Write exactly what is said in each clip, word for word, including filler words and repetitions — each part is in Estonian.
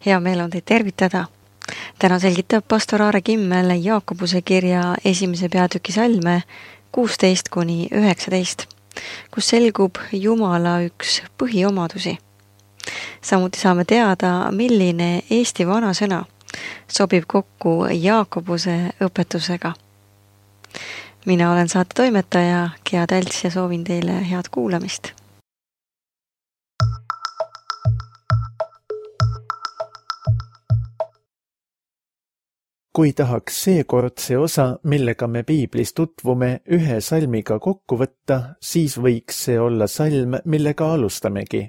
Hea meel on teid tervitada. Täna selgitab pastor Aare Kimmel Jaakobuse kirja esimese peatüki salme kuusteist kuni üheksateist, kus selgub Jumala üks põhiomadusi. Samuti saame teada, milline Eesti vanasõna sobib kokku Jaakobuse õpetusega. Mina olen saate toimetaja Gea Tälts ja soovin teile head kuulamist. Kui tahaks seekord see osa, millega me piiblis tutvume, ühe salmiga kokku võtta, siis võiks see olla salm, millega alustamegi.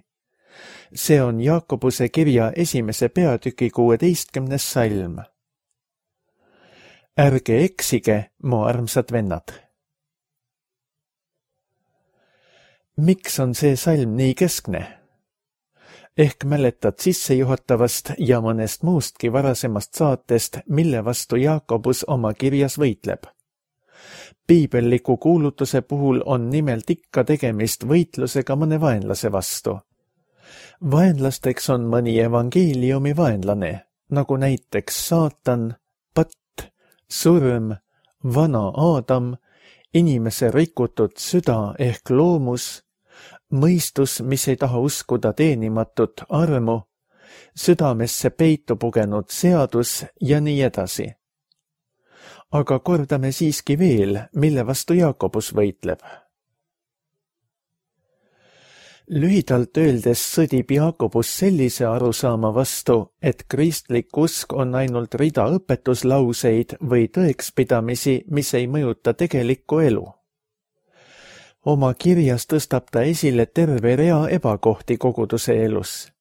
See on Jaakobuse kirja esimese peatüki kuueteistkümnes salm. Ärge eksige, mu armsad vennad. Miks on see salm nii keskne? Ehk mäletad sissejuhatavast ja mõnest muustki varasemast saatest, mille vastu Jaakobus oma kirjas võitleb. Piibelliku kuulutuse puhul on nimelt ikka tegemist võitlusega mõne vaenlase vastu. Vaenlasteks on mõni evangeeliumi vaenlane, nagu näiteks saatan, patt, surm, vana Aadam, inimese rikutud süda ehk loomus, mõistus, mis ei taha uskuda teenimatut armu, südamesse peitu pugenud seadus ja nii edasi. Aga kordame siiski veel, mille vastu Jaakobus võitleb. Lühidalt öeldes sõdib Jaakobus sellise arusaama vastu, et kristlik usk on ainult rida õpetuslauseid või tõekspidamisi, mis ei mõjuta tegelikku elu. Oma kirjas tõstab ta esile terve rea ebakohti koguduse elus.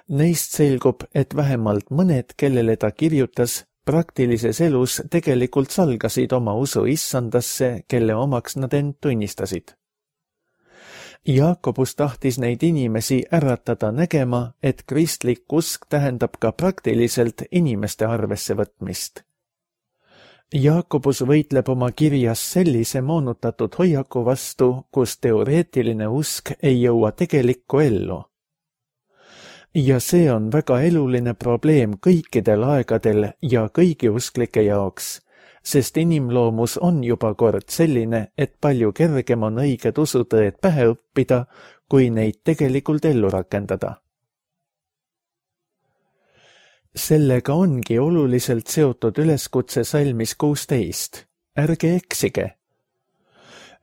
Neist selgub, et vähemalt mõned, kellele ta kirjutas, praktilises elus tegelikult salgasid oma usu issandasse, kelle omaks nad end tunnistasid. Jaakobus tahtis neid inimesi äratada nägema, et kristlik usk tähendab ka praktiliselt inimeste arvesse võtmist. Jaakobus võitleb oma kirjas sellise moonutatud hoiaku vastu, kus teoreetiline usk ei jõua tegelikku ellu. Ja see on väga eluline probleem kõikidel aegadel ja kõigi usklike jaoks, sest inimloomus on juba kord selline, et palju kergem on õiged usutõed pähe õppida, kui neid tegelikult ellu rakendada. Sellega ongi oluliselt seotud üleskutse salmis kuusteist. Ärge eksige.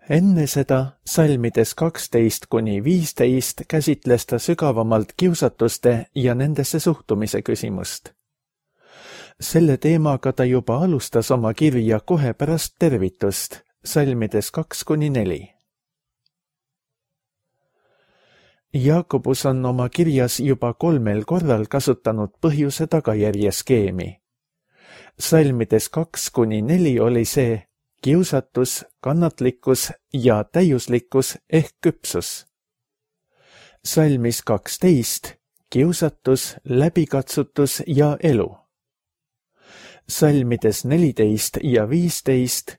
Enne seda salmides kaksteist kuni viisteist käsitles ta sügavamalt kiusatuste ja nendesse suhtumise küsimust. Selle teemaga ta juba alustas oma kirja kohe pärast tervitust, salmides kaks kuni neli. Jaakobus on oma kirjas juba kolmel korral kasutanud põhjuse tagajärje skeemi. Salmides kaks kuni neli oli see kiusatus, kannatlikkus ja täiuslikkus ehk küpsus. Salmis kaksteist kiusatus, läbikatsutus ja elu. Salmides neliteist ja viisteist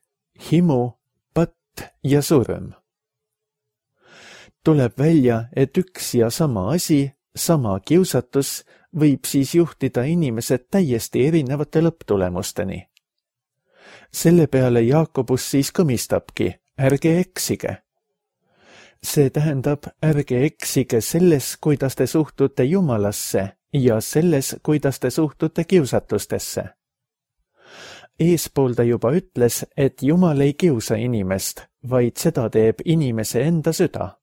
himu, patt ja surm. Tuleb välja, et üks ja sama asi, sama kiusatus, võib siis juhtida inimesed täiesti erinevate lõpptulemusteni. Selle peale Jaakobus siis kõmistabki, ärge eksige. See tähendab, ärge eksige selles, kuidas te suhtute Jumalasse ja selles, kuidas te suhtute kiusatustesse. Eespool ta juba ütles, et Jumal ei kiusa inimest, vaid seda teeb inimese enda süda.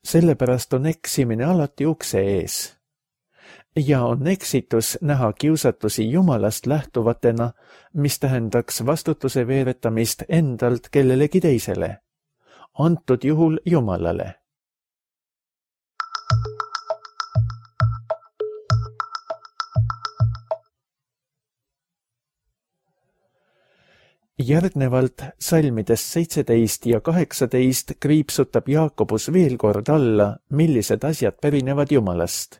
Sellepärast on eksimine alati ukse ees. Ja on eksitus näha kiusatusi Jumalast lähtuvatena, mis tähendaks vastutuse veeretamist endalt kellelegi teisele. Antud juhul Jumalale. Järgnevalt salmides seitseteist ja kaheksateist kriipsutab Jaakobus veel kord alla, millised asjad pärinevad Jumalast.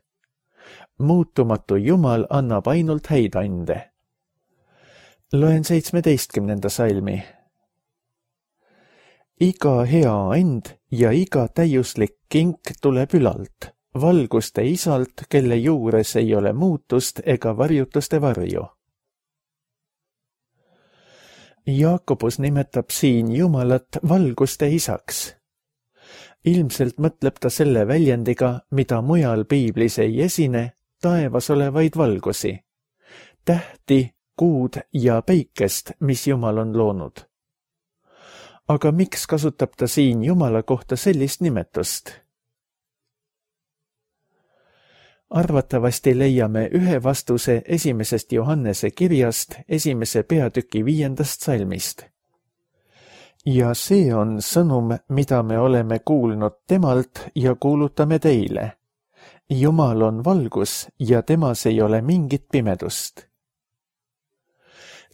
Muutumatu Jumal annab ainult häid ande. Loen seitsmeteistkümnenda salmi. Iga hea and ja iga täiuslik kink tuleb ülalt, valguste isalt, kelle juures ei ole muutust ega varjutuste varju. Jaakobus nimetab siin Jumalat valguste isaks. Ilmselt mõtleb ta selle väljendiga, mida mujal piiblis ei esine, taevas olevaid valgusi, tähti, kuud ja päikest, mis Jumal on loonud. Aga miks kasutab ta siin Jumala kohta sellist nimetust? Arvatavasti leiame ühe vastuse esimesest Johannese kirjast, esimese peatüki viiendast salmist. Ja see on sõnum, mida me oleme kuulnud temalt ja kuulutame teile. Jumal on valgus ja temas ei ole mingit pimedust.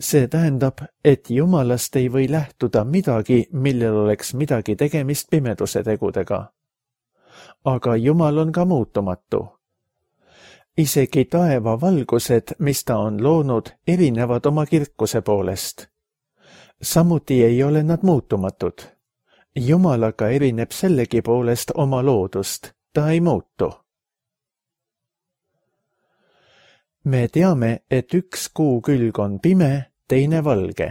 See tähendab, et Jumalast ei või lähtuda midagi, millel oleks midagi tegemist pimeduse tegudega. Aga Jumal on ka muutumatu. Isegi taeva valgused, mis ta on loonud, erinevad oma kirkuse poolest. Samuti ei ole nad muutumatud. Jumalaga erineb sellegi poolest oma loodust, ta ei muutu. Me teame, et üks kuu külg on pime, teine valge.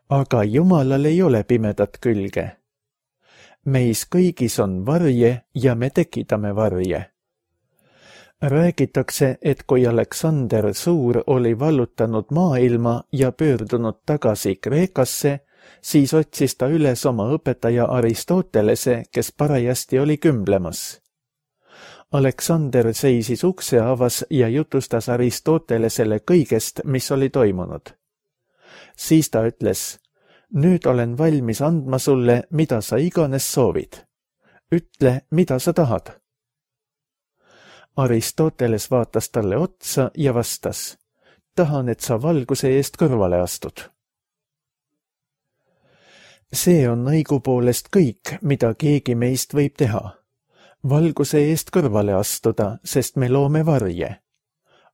Aga Jumalal ei ole pimedat külge. Meis kõigis on varje ja me tekitame varje. Räägitakse, et kui Aleksander Suur oli vallutanud maailma ja pöördunud tagasi Kreekasse, siis otsis ta üles oma õpetaja Aristotelese, kes parajasti oli kümblemas. Aleksander seisis ukse avas ja jutustas Aristotelesele kõigest, mis oli toimunud. Siis ta ütles, nüüd olen valmis andma sulle, mida sa iganes soovid. Ütle, mida sa tahad. Aristoteles vaatas talle otsa ja vastas, tahan, et sa valguse eest kõrvale astud. See on õigupoolest kõik, mida keegi meist võib teha. Valguse eest kõrvale astuda, sest me loome varje.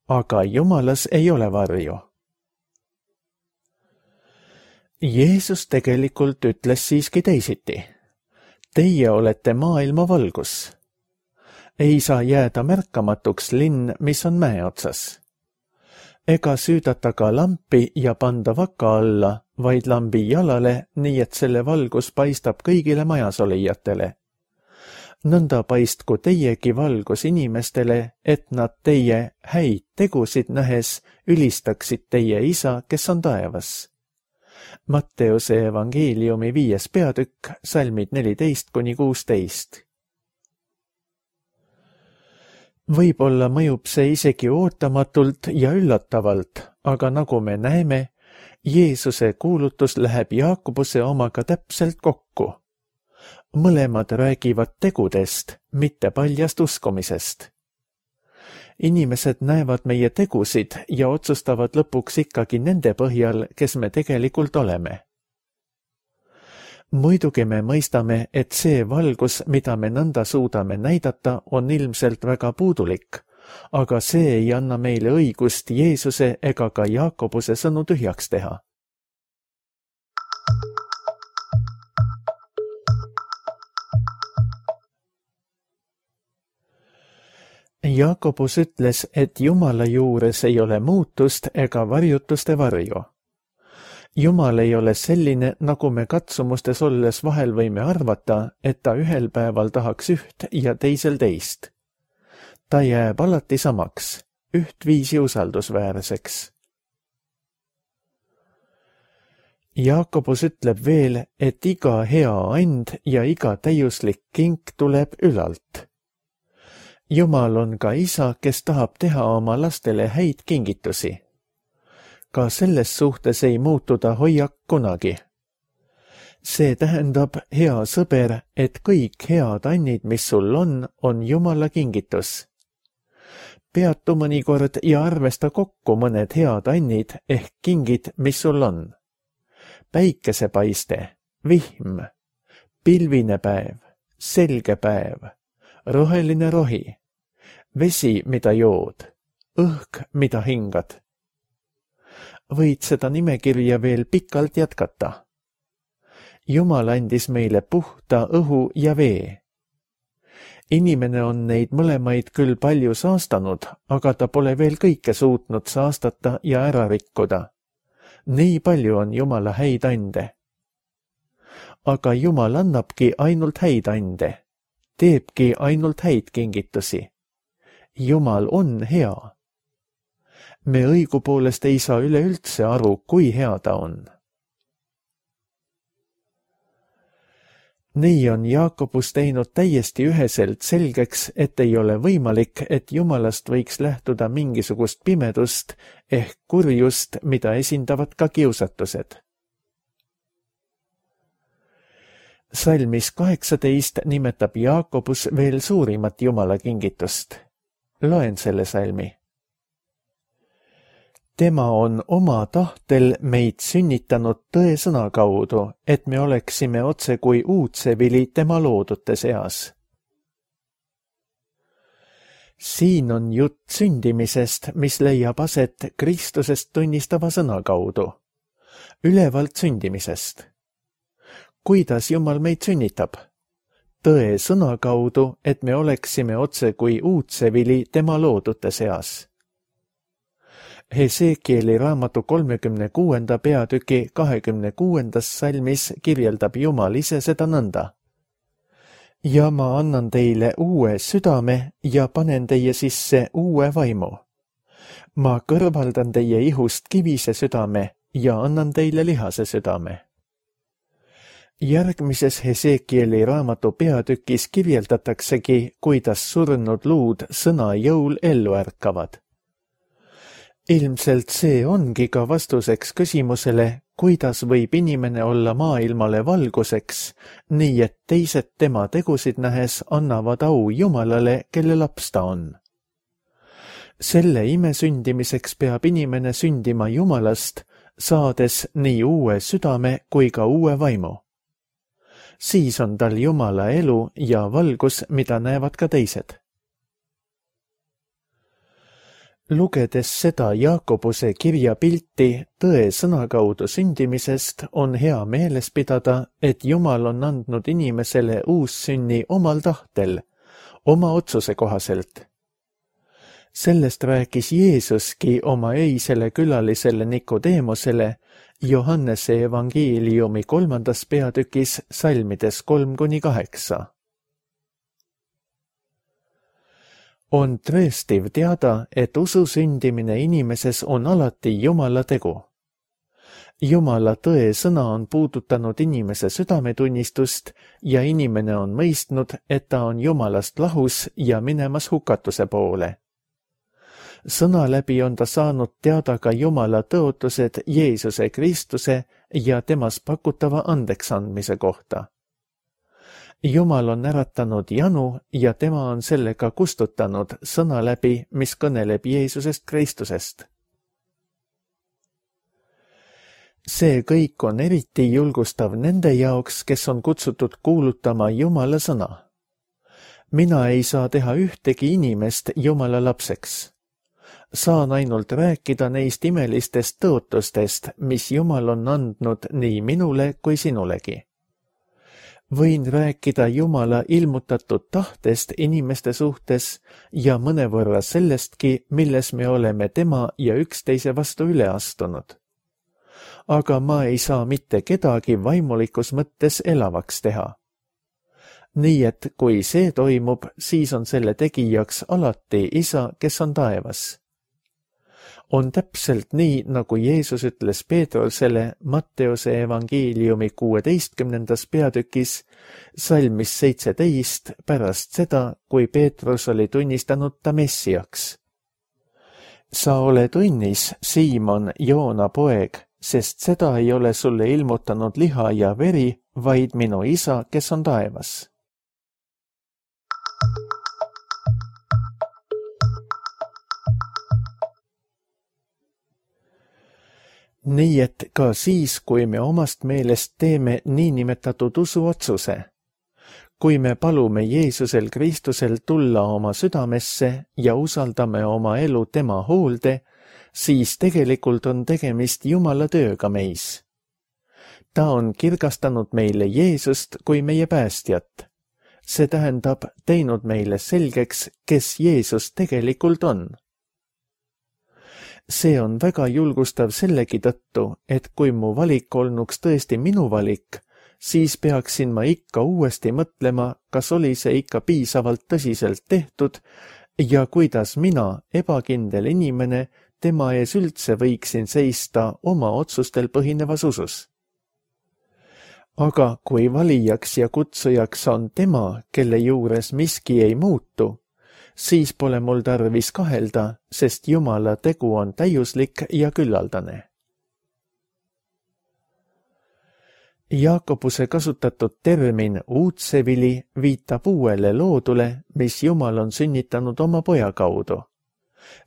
Aga Jumalas ei ole varju. Jeesus tegelikult ütles siiski teisiti. Teie olete maailma valgus. Ei saa jääda märkamatuks linn, mis on mäe otsas. Ega süüdata ka lampi ja panda vaka alla, vaid lambi jalale, nii et selle valgus paistab kõigile majas olijatele. Nõnda paistku teiegi valgus inimestele, et nad teie häid tegusid nähes ülistaksid teie isa, kes on taevas. Matteuse evangeeliumi viies peatükk, salmid neliteist kuni kuusteist. Võib-olla mõjub see isegi ootamatult ja üllatavalt, aga nagu me näeme, Jeesuse kuulutus läheb Jaakobuse omaga täpselt kokku. Mõlemad räägivad tegudest, mitte paljast uskumisest. Inimesed näevad meie tegusid ja otsustavad lõpuks ikkagi nende põhjal, kes me tegelikult oleme. Muidugi me mõistame, et see valgus, mida me nõnda suudame näidata, on ilmselt väga puudulik, aga see ei anna meile õigust Jeesuse ega ka Jaakobuse sõnu tühjaks teha. Jaakobus ütles, et Jumala juures ei ole muutust ega varjutuste varju. Jumal ei ole selline, nagu me katsumustes olles vahel võime arvata, et ta ühel päeval tahaks üht ja teisel teist. Ta jääb alati samaks, ühtviisi usaldusväärseks. Jaakobus ütleb veel, et iga hea and ja iga täiuslik kink tuleb ülalt. Jumal on ka isa, kes tahab teha oma lastele häid kingitusi. Ka selles suhtes ei muutu ta hoiak kunagi. See tähendab, hea sõber, et kõik head annid, mis sul on, on Jumala kingitus. Peatu mõnikord ja arvesta kokku mõned head annid ehk kingid, mis sul on. Päikesepaiste, vihm, pilvine päev, selge päev, roheline rohi, vesi, mida jood, õhk, mida hingad. Võid seda nimekirja veel pikalt jätkata. Jumal andis meile puhta õhu ja vee. inimene on neid mõlemaid küll palju saastanud, aga ta pole veel kõike suutnud saastata ja ära rikkuda. Nii palju on Jumala häid ande. Aga Jumal annabki ainult häid ande, teebki ainult häid kingitusi. Jumal on hea. Me õigupoolest ei saa üleüldse aru, kui hea ta on. Nii on Jaakobus teinud täiesti üheselt selgeks, et ei ole võimalik, et Jumalast võiks lähtuda mingisugust pimedust ehk kurjust, mida esindavad ka kiusatused. Salmis kaheksateist nimetab Jaakobus veel suurimat Jumala kingitust. Loen selle salmi. Tema on oma tahtel meid sünnitanud tõe sõna kaudu, et me oleksime otse kui uudsevili tema loodute seas. Siin on jutt sündimisest, mis leiab aset Kristusest tunnistava sõna kaudu. Ülevalt sündimisest. Kuidas Jumal meid sünnitab? Tõe sõna kaudu, et me oleksime otse kui uudsevili tema loodute seas. Hesekieli raamatu kolmekümne kuuenda peatüki kahekümne kuuendas salmis kirjeldab Jumal ise seda nõnda. Ja ma annan teile uue südame ja panen teie sisse uue vaimu. Ma kõrvaldan teie ihust kivise südame ja annan teile lihase südame. Järgmises Hesekieli raamatu peatükis kirjeldataksegi, kuidas surnud luud sõna jõul ellu ärkavad. Ilmselt see ongi ka vastuseks küsimusele, kuidas võib inimene olla maailmale valguseks, nii et teised tema tegusid nähes annavad au Jumalale, kelle laps ta on. Selle ime sündimiseks peab inimene sündima Jumalast, saades nii uue südame kui ka uue vaimu. Siis on tal Jumala elu ja valgus, mida näevad ka teised. Lugedes seda Jaakobuse kirja pilti tõe sõna kaudu sündimisest, on hea meeles pidada, et Jumal on andnud inimesele uussünni omal tahtel, oma otsuse kohaselt. Sellest rääkis Jeesuski oma öisele külalisele Nikodeemosele Johannese evangeeliumi kolmandas peatükis salmides kolm kuni kaheksa. On tõestiv teada, et usu sündimine inimeses on alati Jumala tegu. Jumala tõe sõna on puudutanud inimese südametunnistust ja inimene on mõistnud, et ta on Jumalast lahus ja minemas hukatuse poole. Sõna läbi on ta saanud teada ka Jumala tõotused Jeesuse Kristuse ja temas pakutava andeksandmise kohta. Jumal on äratanud janu ja tema on sellega kustutanud sõna läbi, mis kõneleb Jeesusest Kristusest. See kõik on eriti julgustav nende jaoks, kes on kutsutud kuulutama Jumala sõna. Mina ei saa teha ühtegi inimest Jumala lapseks. Saan ainult rääkida neist imelistest tõotustest, mis Jumal on andnud nii minule kui sinulegi. Võin rääkida Jumala ilmutatud tahtest inimeste suhtes ja mõnevõrra sellestki, milles me oleme tema ja üksteise vastu üle astunud. Aga ma ei saa mitte kedagi vaimulikus mõttes elavaks teha. Nii et kui see toimub, siis on selle tegijaks alati Isa, kes on taevas. On täpselt nii, nagu Jeesus ütles Peetrusele Matteuse evangeeliumi kuueteistkümnendas peatükis, salmis seitseteist pärast seda, kui Peetrus oli tunnistanud ta Messiaks. Sa oled õnnis, Siimon, Joona poeg, sest seda ei ole sulle ilmutanud liha ja veri, vaid minu Isa, kes on taevas. Nii et ka siis, kui me omast meelest teeme niinimetatud usuotsuse, kui me palume Jeesusel Kristusel tulla oma südamesse ja usaldame oma elu tema hoolde, siis tegelikult on tegemist Jumala tööga meis. Ta on kirgastanud meile Jeesust kui meie päästjat. see tähendab teinud meile selgeks, kes Jeesus tegelikult on. See on väga julgustav sellegi tõttu, et kui mu valik olnuks tõesti minu valik, siis peaksin ma ikka uuesti mõtlema, kas oli see ikka piisavalt tõsiselt tehtud ja kuidas mina, ebakindel inimene, tema ees üldse võiksin seista oma otsustel põhinevas usus. Aga kui valijaks ja kutsujaks on tema, kelle juures miski ei muutu, siis pole mul tarvis kahelda, sest Jumala tegu on täiuslik ja küllaldane. Jaakobuse kasutatud termin uudsevili viitab uuele loodule, mis Jumal on sünnitanud oma poja kaudu.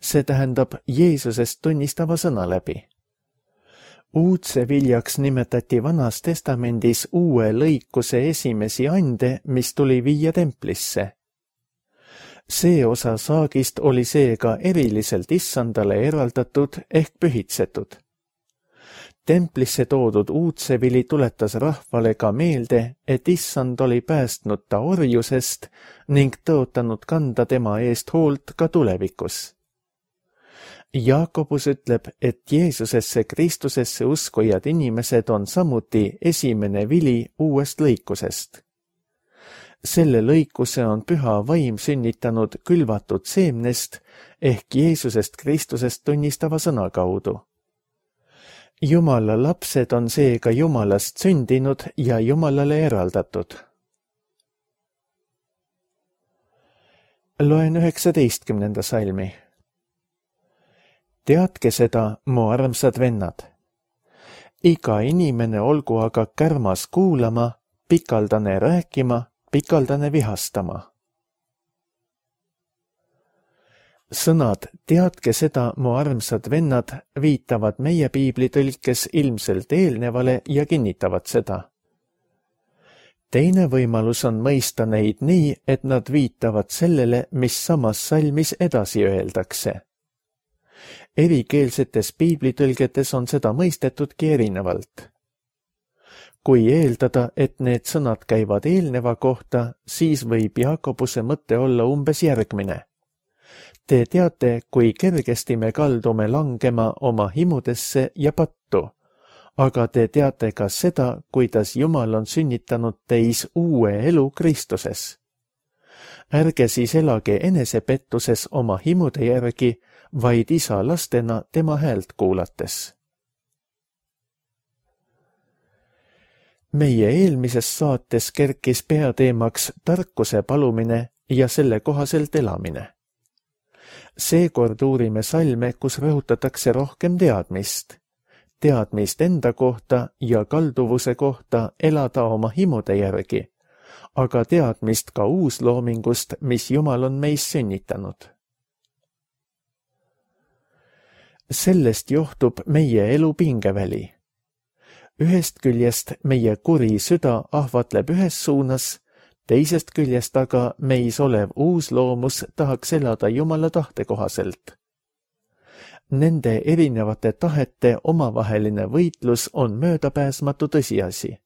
See tähendab Jeesusest tunnistava sõna läbi. Uudseviljaks nimetati Vanas testamendis uue lõikuse esimesi ande, mis tuli viia templisse. See osa saagist oli seega eriliselt issandale eraldatud ehk pühitsetud. Templisse toodud uudsevili tuletas rahvale ka meelde, et issand oli päästnud ta orjusest ning tõotanud kanda tema eest hoolt ka tulevikus. Jaakobus ütleb, et Jeesusesse Kristusesse uskujad inimesed on samuti esimene vili uuest lõikusest. Selle lõikuse on püha vaim sünnitanud külvatud seemnest ehk Jeesusest Kristusest tunnistava sõna kaudu. Jumala lapsed on seega Jumalast sündinud ja Jumalale eraldatud. Loen üheksateistkümnenda salmi. Teadke seda, mu armsad vennad. Iga inimene olgu aga kärmas kuulama, pikaldane rääkima, pikaldane vihastama. Sõnad teadke seda, mu armsad vennad, viitavad meie piiblitõlkes ilmselt eelnevale ja kinnitavad seda. Teine võimalus on mõista neid nii, et nad viitavad sellele, mis samas salmis edasi öeldakse. Erikeelsetes piiblitõlgetes on seda mõistetudki erinevalt. Kui eeldada, et need sõnad käivad eelneva kohta, siis võib Jaakobuse mõte olla umbes järgmine. Te teate, kui kergesti me kaldume langema oma himudesse ja pattu, aga te teate ka seda, kuidas Jumal on sünnitanud teis uue elu Kristuses. Ärge siis elage enesepettuses oma himude järgi, vaid isa lastena tema häält kuulates. Meie eelmises saates kerkis peateemaks tarkuse palumine ja selle kohaselt elamine. Seekord uurime salme, kus rõhutatakse rohkem teadmist. Teadmist enda kohta ja kalduvuse kohta elada oma himude järgi, aga teadmist ka uusloomingust, mis Jumal on meis sünnitanud. Sellest johtub meie elu pingeväli. Ühest küljest meie kuri süda ahvatleb ühes suunas, teisest küljest aga meis olev uus loomus tahaks elada Jumala tahte kohaselt. Nende erinevate tahete omavaheline võitlus on möödapääsmatu tõsiasi.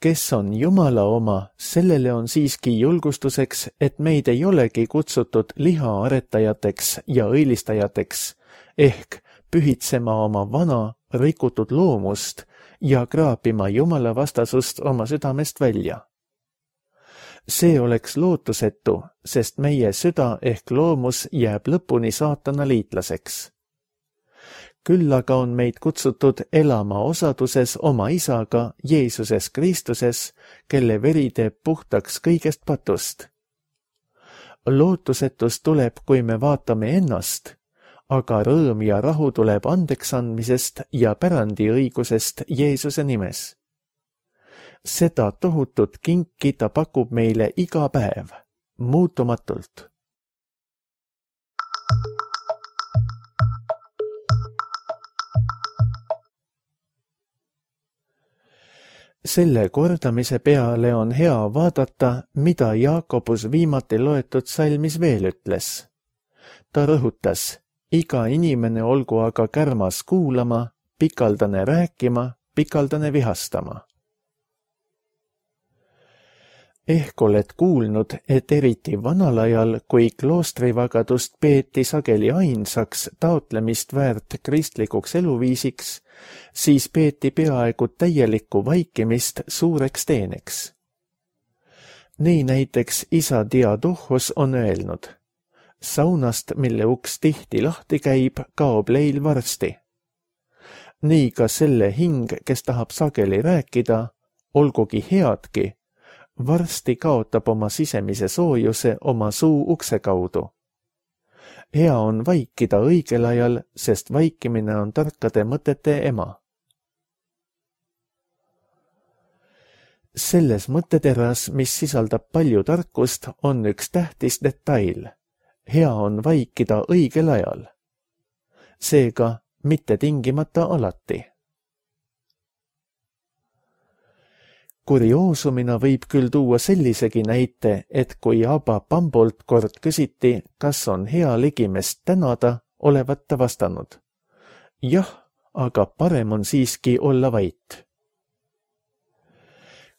Kes on Jumala oma, sellele on siiski julgustuseks, et meid ei olegi kutsutud lihaaretajateks ja õilistajateks, ehk pühitsema oma vana, rikutud loomust ja kraapima Jumala vastasust oma südamest välja. See oleks lootusetu, sest meie süda ehk loomus jääb lõpuni saatana liitlaseks. Küll aga on meid kutsutud elama osaduses oma isaga Jeesuses Kristuses, kelle veri teeb puhtaks kõigest patust. Lootusetus tuleb, kui me vaatame ennast, aga rõõm ja rahu tuleb andeks andmisest ja pärandiõigusest Jeesuse nimes. Seda tohutut kinki ta pakub meile iga päev, muutumatult. Selle kordamise peale on hea vaadata, mida Jaakobus viimati loetud salmis veel ütles. Ta rõhutas, iga inimene olgu aga kärmas kuulama, pikaldane rääkima, pikaldane vihastama. ehk oled kuulnud, et eriti vanal ajal, kui kloostrivagadust peeti sageli ainsaks taotlemist väärt kristlikuks eluviisiks, siis peeti peaaegu täielikku vaikimist suureks teeneks. Nii näiteks isa Diadohos on öelnud: saunast, mille uks tihti lahti käib, kaob leil varsti. Nii ka selle hing, kes tahab sageli rääkida, olgugi headki, varsti kaotab oma sisemise soojuse oma suu ukse kaudu. Hea on vaikida õigel ajal, sest vaikimine on tarkade mõtete ema. Selles mõtteteras, mis sisaldab palju tarkust, on üks tähtis detail. Hea on vaikida õigel ajal. Seega mitte tingimata alati. Kurioosumina võib küll tuua sellisegi näite, et kui Abba Pambolt kord küsiti, kas on hea ligimest tänada, olevat ta vastanud: jah, aga parem on siiski olla vait.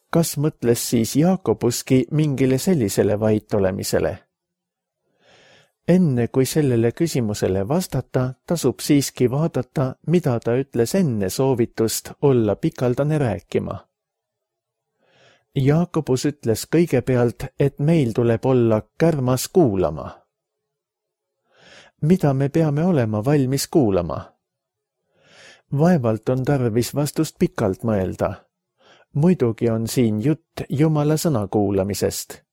Kas mõtles siis Jaakobuski mingile sellisele vait olemisele? Enne kui sellele küsimusele vastata, tasub siiski vaadata, mida ta ütles enne soovitust olla pikaldane rääkima. Jaakobus ütles kõigepealt, et meil tuleb olla kärmas kuulama. Mida me peame olema valmis kuulama? Vaevalt on tarvis vastust pikalt mõelda. Muidugi on siin jutt Jumala sõna kuulamisest.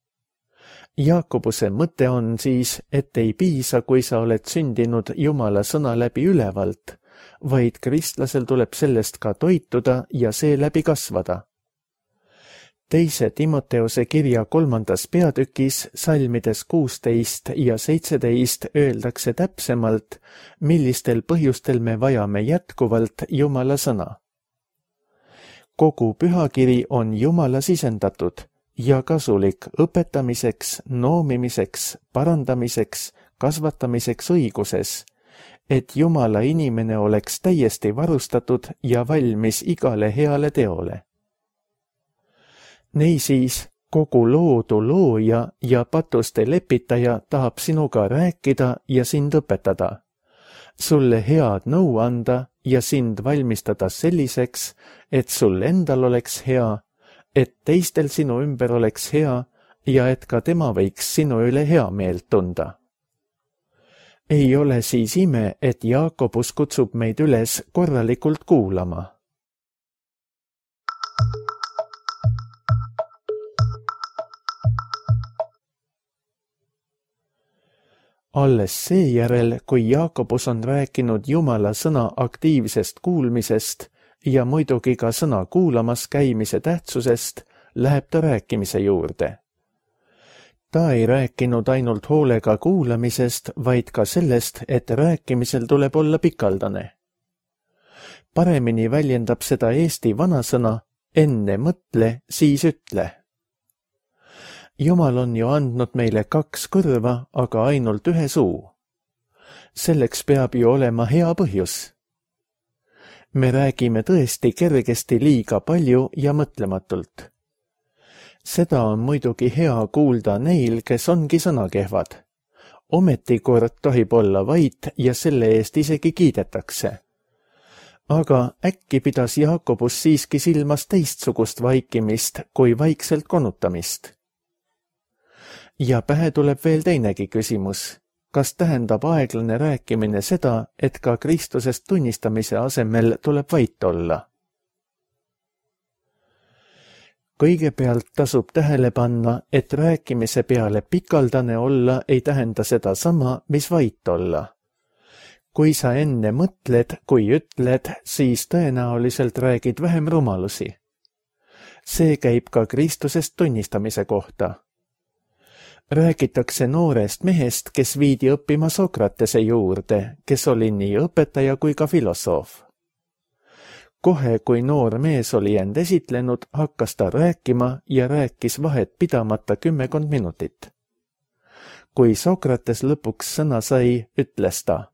Jaakobuse mõte on siis, et ei piisa, kui sa oled sündinud Jumala sõna läbi ülevalt, vaid kristlasel tuleb sellest ka toituda ja seeläbi kasvada. Teise Timoteose kirja kolmandas peatükis salmides kuusteist ja seitseteist öeldakse täpsemalt, millistel põhjustel me vajame jätkuvalt Jumala sõna. Kogu pühakiri on Jumala sisendatud ja kasulik õpetamiseks, noomimiseks, parandamiseks, kasvatamiseks õiguses, et Jumala inimene oleks täiesti varustatud ja valmis igale heale teole. Niisiis, kogu loodu looja ja patuste lepitaja tahab sinuga rääkida ja sind õpetada, sulle head nõu anda ja sind valmistada selliseks, et sul endal oleks hea, et teistel sinu ümber oleks hea ja et ka tema võiks sinu üle hea meelt tunda. Ei ole siis ime, et Jaakobus kutsub meid üles korralikult kuulama. Alles seejärel, kui Jaakobus on rääkinud Jumala sõna aktiivsest kuulmisest ja muidugi ka sõna kuulamas käimise tähtsusest, läheb ta rääkimise juurde. Ta ei rääkinud ainult hoolega kuulamisest, vaid ka sellest, et rääkimisel tuleb olla pikaldane. Paremini väljendab seda eesti vanasõna enne mõtle, siis ütle. Jumal on ju andnud meile kaks kõrva, aga ainult ühe suu. Selleks peab ju olema hea põhjus. Me räägime tõesti kergesti liiga palju ja mõtlematult. Seda on muidugi hea kuulda neil, kes ongi sõnakehvad. Ometi kord tohib olla vait ja selle eest isegi kiidetakse. Aga äkki pidas Jaakobus siiski silmas teistsugust vaikimist kui vaikselt konutamist. Ja pähe tuleb veel teinegi küsimus. Kas tähendab aeglane rääkimine seda, et ka Kristusest tunnistamise asemel tuleb vait olla? Kõigepealt tasub tähele panna, et rääkimise peale pikaldane olla ei tähenda seda sama, mis vait olla. Kui sa enne mõtled, kui ütled, siis tõenäoliselt räägid vähem rumalusi. See käib ka Kristusest tunnistamise kohta. Räägitakse noorest mehest, kes viidi õppima Sokratese juurde, kes oli nii õpetaja kui ka filosoof. Kohe, kui noor mees oli end esitlenud, hakkas ta rääkima ja rääkis vahet pidamata kümmekond minutit. Kui Sokrates lõpuks sõna sai, ütles ta: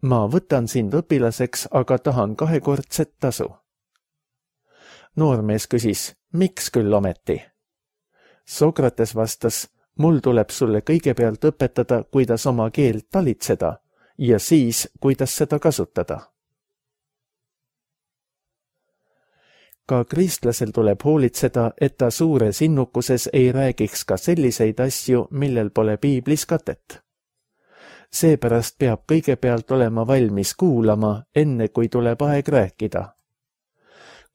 ma võtan sind õpilaseks, aga tahan kahekordset tasu. Noormees küsis: miks küll ometi? Sokrates vastas, mul tuleb sulle kõigepealt õpetada, kuidas oma keelt talitseda ja siis, kuidas seda kasutada. Ka kristlasel tuleb hoolitseda, et ta suures innukuses ei räägiks ka selliseid asju, millel pole piiblis katet. Seepärast peab kõigepealt olema valmis kuulama, enne kui tuleb aeg rääkida.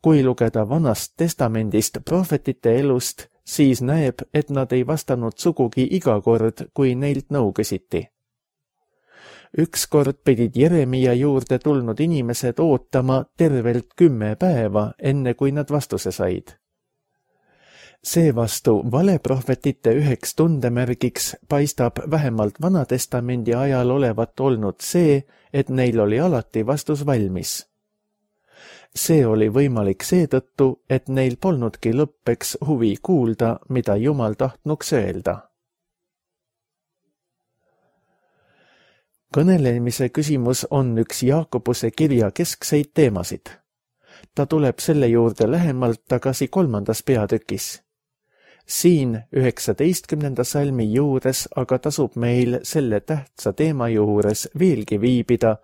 Kui lugeda Vanast testamendist prohvetite elust, siis näeb, et nad ei vastanud sugugi iga kord, kui neilt nõu küsiti. Ükskord pidid Jeremia juurde tulnud inimesed ootama tervelt kümme päeva, enne kui nad vastuse said. Seevastu valeprohvetite üheks tundemärgiks paistab vähemalt Vanatestamendi ajal olevat olnud see, et neil oli alati vastus valmis. See oli võimalik seetõttu, et neil polnudki lõppeks huvi kuulda, mida Jumal tahtnuks öelda. Kõnelemise küsimus on üks Jaakobuse kirja keskseid teemasid. Ta tuleb selle juurde lähemalt tagasi kolmandas peatükis. Siin üheksateistkümnenda salmi juures aga tasub meil selle tähtsa teema juures veelgi viibida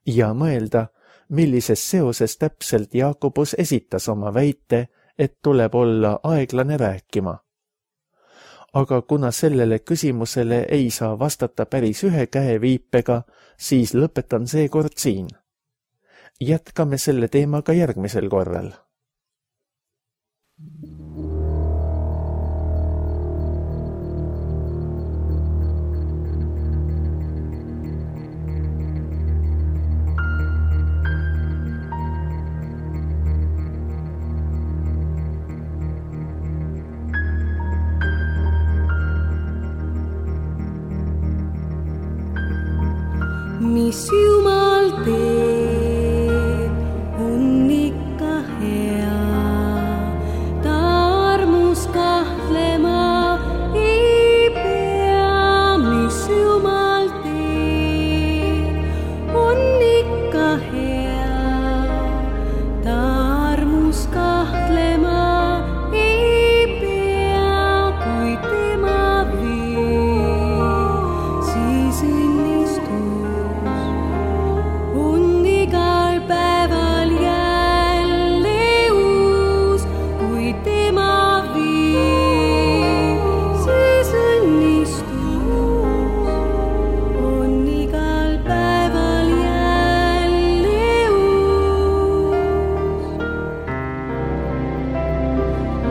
ja mõelda, millises seoses täpselt Jaakobus esitas oma väite, et tuleb olla aeglane rääkima. Aga kuna sellele küsimusele ei saa vastata päris ühe käe viipega, siis lõpetan seekord siin. Jätkame selle teemaga järgmisel korral. Mis Jumal teeb, on ikka hea, ta armus kahtlema ei pea. Mis Jumal teeb, on ikka hea, ta armus kahtlema ei pea. Kui tema viib, siis õnnistus on igal päeval jälle uus. Kui tema viib, siis õnnistus on igal päeval jälle uus.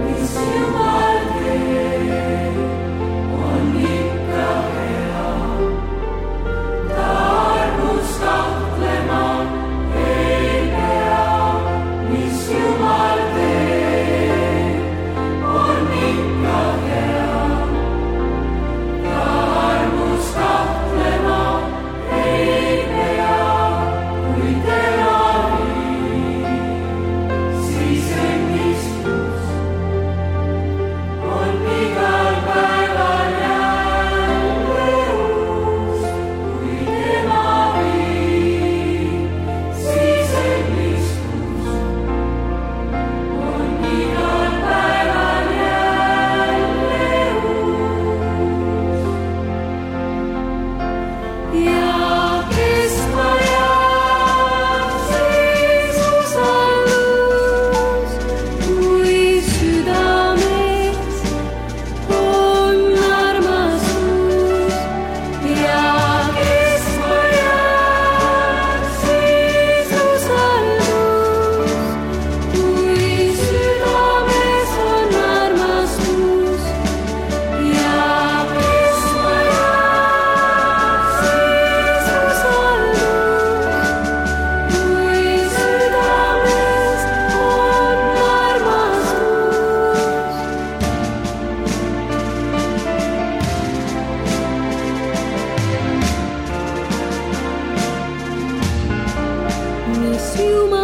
Mis Jumal teeb, on ikka hea, ta armus kahtlema ei pea. Mis Jumal teeb, on ikka hea, ta armus kahtlema ei pea. Kui tema viib, siis õnnistus on igal päeval jälle uus. Kui tema viib, siis õnnistus on igal päeval jälle uus. Ja kestma jääb siis usaldus, kui südames on armastus. Ja kestma jääb siis usaldus, kui südames on armastus. Ja kestma jääb siis usaldus, kui südames on armastus. Mis Jumal